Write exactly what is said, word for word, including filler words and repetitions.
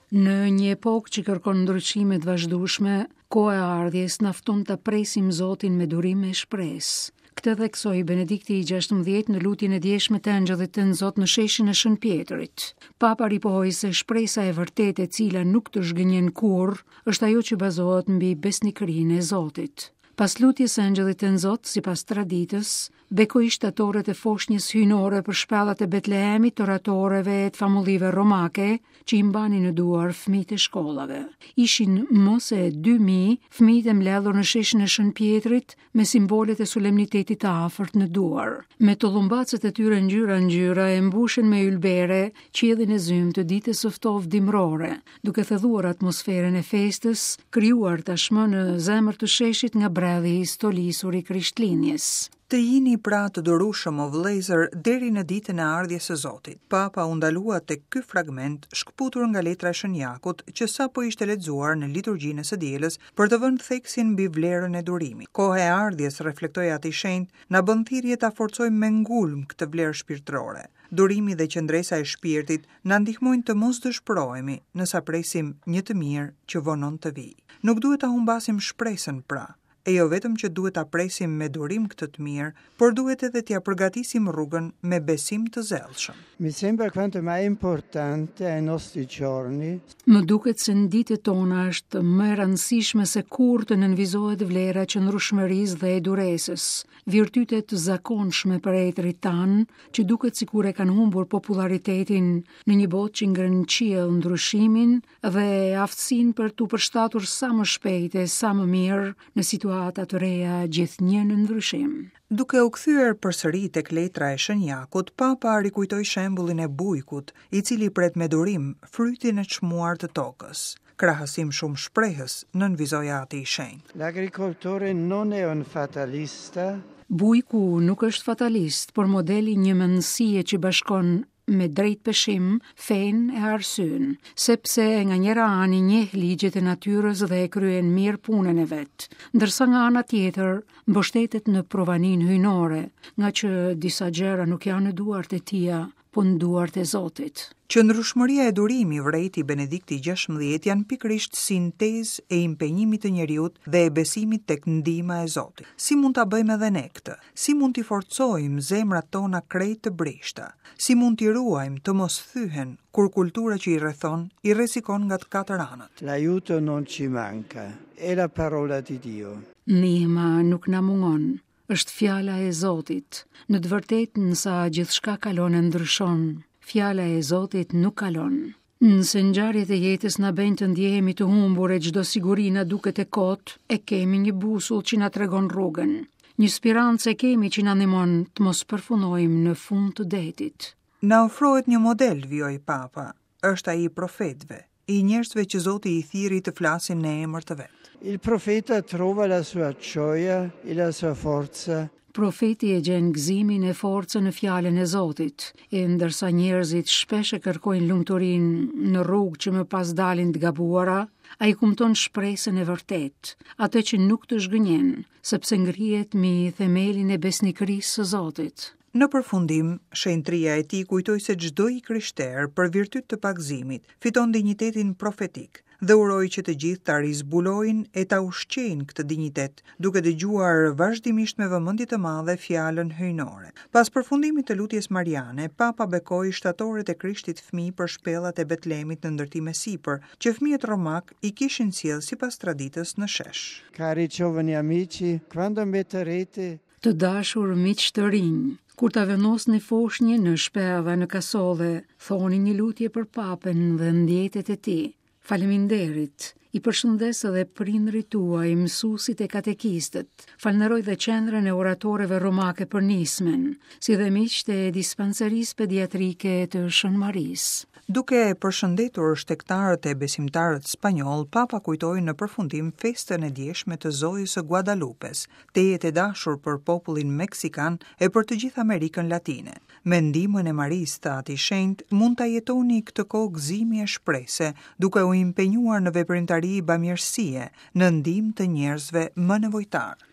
Në një epokë që kërkon ndryshime të vazhdueshme, koha e ardhjes na fton ta presim Zotin me durim e shpresë. Këtë theksoi Benedikti i gjashtëmbëdhjetë në lutjen e djeshme të Engjëllit të Zot në sheshin e Shën Pjetrit. Papa ripohoi se shpresa e vërtetë, e cila nuk të zhgënjen kurrë, është ajo që bazohet mbi besnikërinë e Zotit. Pas lutjes së Engjëllit të Zot, sipas traditës, bekoi shtatoret e foshnjës hyjnore për shpellat e Betlehemit, të oratoreve e të famullive romake që i mbanin në duar fëmijët e shkollave. Ishin më se dy mijë fëmijët e mbledhur në sheshin e Shën Pjetrit me simbolet e solemnitetit të afërt në duar. Me tollumbacet e tyre ngjyra ngjyra e mbushën me ylbere qiellin e zymtë të ditës së ftohtë dimrore, duke thelluar atmosferën e festës, krijuar tashmë në zemër të sheshit nga bredhi i stolisur i Krishtlindjes. Të jini pra të durueshëm, o vëllezër, deri në ditën e ardhjes së Zotit. Papa u ndalua tek ky fragment shkëputur nga letra e Shën Jakut, që sapo ishte lexuar në liturgjinë e së dielës, për të vënë theksin mbi vlerën e durimit. Koha e ardhjes, reflektoi Ati i Shenjtë, na bën thirrje ta forcojmë me ngulm këtë vlerë shpirtërore. Durimi dhe qëndresa e shpirtit na ndihmojnë të mos dëshpërohemi nësa presim një të mirë që vonon të vijë. Nuk duhet ta humbasim shpresën pra, e jo vetëm që duhet ta presim me durim këtë të mirë, por duhet edhe t'ia përgatisim rrugën me besim të zellshëm. Mi sembra quanto mai importante ai nostri giorni. Më duket se në ditët tona është më e rëndësishme se kurrë të nënvizohet vlera e qëndrueshmërisë dhe e duresës, virtyte të zakonshme për etërit tanë, që duket sikur e kanë humbur popularitetin në një botë që ngren në qiell ndryshimin dhe aftësinë për t'u përshtatur sa më shpejt e sa më mirë në situata të reja gjithnjë në ndryshim. Duke u kthyer përsëri tek letra e Shën Jakut, Papa rikujtoi shembullin e bujkut, i cili pret me durim frytin e çmuar të tokës. Krahasim shumë shprehës, nënvizoi Ati i Shenjtë. L'agricoltore non è un fatalista. Bujku nuk është fatalist, por modeli i një mendësie që bashkon me drejt peshim fenë e arsyen, sepse nga njëra anë i njeh ligjet e natyrës dhe e kryen mirë punën e vet, ndërsa nga ana tjetër mbështetet në provanin hyjnore, nga që disa gjëra nuk janë në duart e tija, po në duart e Zotit. Qëndrueshmëria e durimi, vërejti Benedikti gjashtëmbëdhjetë, janë pikërisht sintezë e impenjimit të njeriut dhe e besimit tek ndihma e Zotit. Si mund ta bëjmë edhe ne këtë? Si mund t'i forcojmë zemrat tona krejt të brishta? Si mund t'i ruajmë të mos thyhen kur kultura që i rrethon i rrezikon nga të katër anët? L'aiuto non ci manca, è la parola di Dio. Ndihma nuk na mungon, është fjala e Zotit. Në të vërtetë, nësa gjithçka kalon e ndryshon, fjala e Zotit nuk kalon. Nëse ngjarjet e jetës na bëjnë të ndjehemi të humbur e çdo siguri na duket e kot, e kemi një busull që na tregon rrugën. Një spirancë e kemi që na ndihmon të mos përfundojmë në fund të detit. Na ofrohet një model, vijoi Papa, është ai i profetëve, i njerëzve që Zoti i thirri të flasin në emër të vet. Il profeta trova la sua gioia e la sua forza. Profeti e gjen gëzimin e forcën në fjalën e Zotit, e ndërsa njerëzit shpesh e kërkojnë lumturinë në rrugë që më pas dalin të gabuara, ai kumton shpresën e vërtetë, atë që nuk të zhgënjen, sepse ngrihet mbi themelin e besnikërisë së Zotit. Në përfundim, shenjtria e tij kujtoi se çdo i krishter për virtyt të pagëzimit fiton dinjitetin profetik dhe uroi që të gjithë ta rizbulojnë e ta ushqejnë këtë dinjitet, duke dëgjuar vazhdimisht me vëmendje të madhe fjalën hyjnore. Pas përfundimit të lutjes mariane, Papa bekoi shtatoret e Krishtit fëmijë për shpellat e Betlehemit në ndërtim e sipër, që fëmijët romak i kishin sjellë sipas traditës në shesh. Cari giovani amici, quando metterete Të dashur miq të rinj, kur ta vendosni foshnjën në shpella në kasolle, thoni një lutje për papën dhe ndjetet e tij. Faleminderit. I përshëndes edhe prindrit tuaj, mësuesit e katekistët. Falënderoj dhe qendrën e oratoreve romake për nismen, si dhe miqtë e dispanserisë pediatrike të Shën Marisë. Duke përshëndetur shtegtarët e besimtarët spanjoll, Papa kujtoi në përfundim festën e djeshme të Zojës së Guadalupes, tejet e dashur për popullin meksikan e për të gjithë Amerikën Latine. Me ndihmën e Marisë, tha Ati i Shenjtë, mund ta jetoni këtë kohë gëzimi e shprese, duke u impenjuar në veprimtari bamirësie, në ndihmë të njerëzve më nevojtar.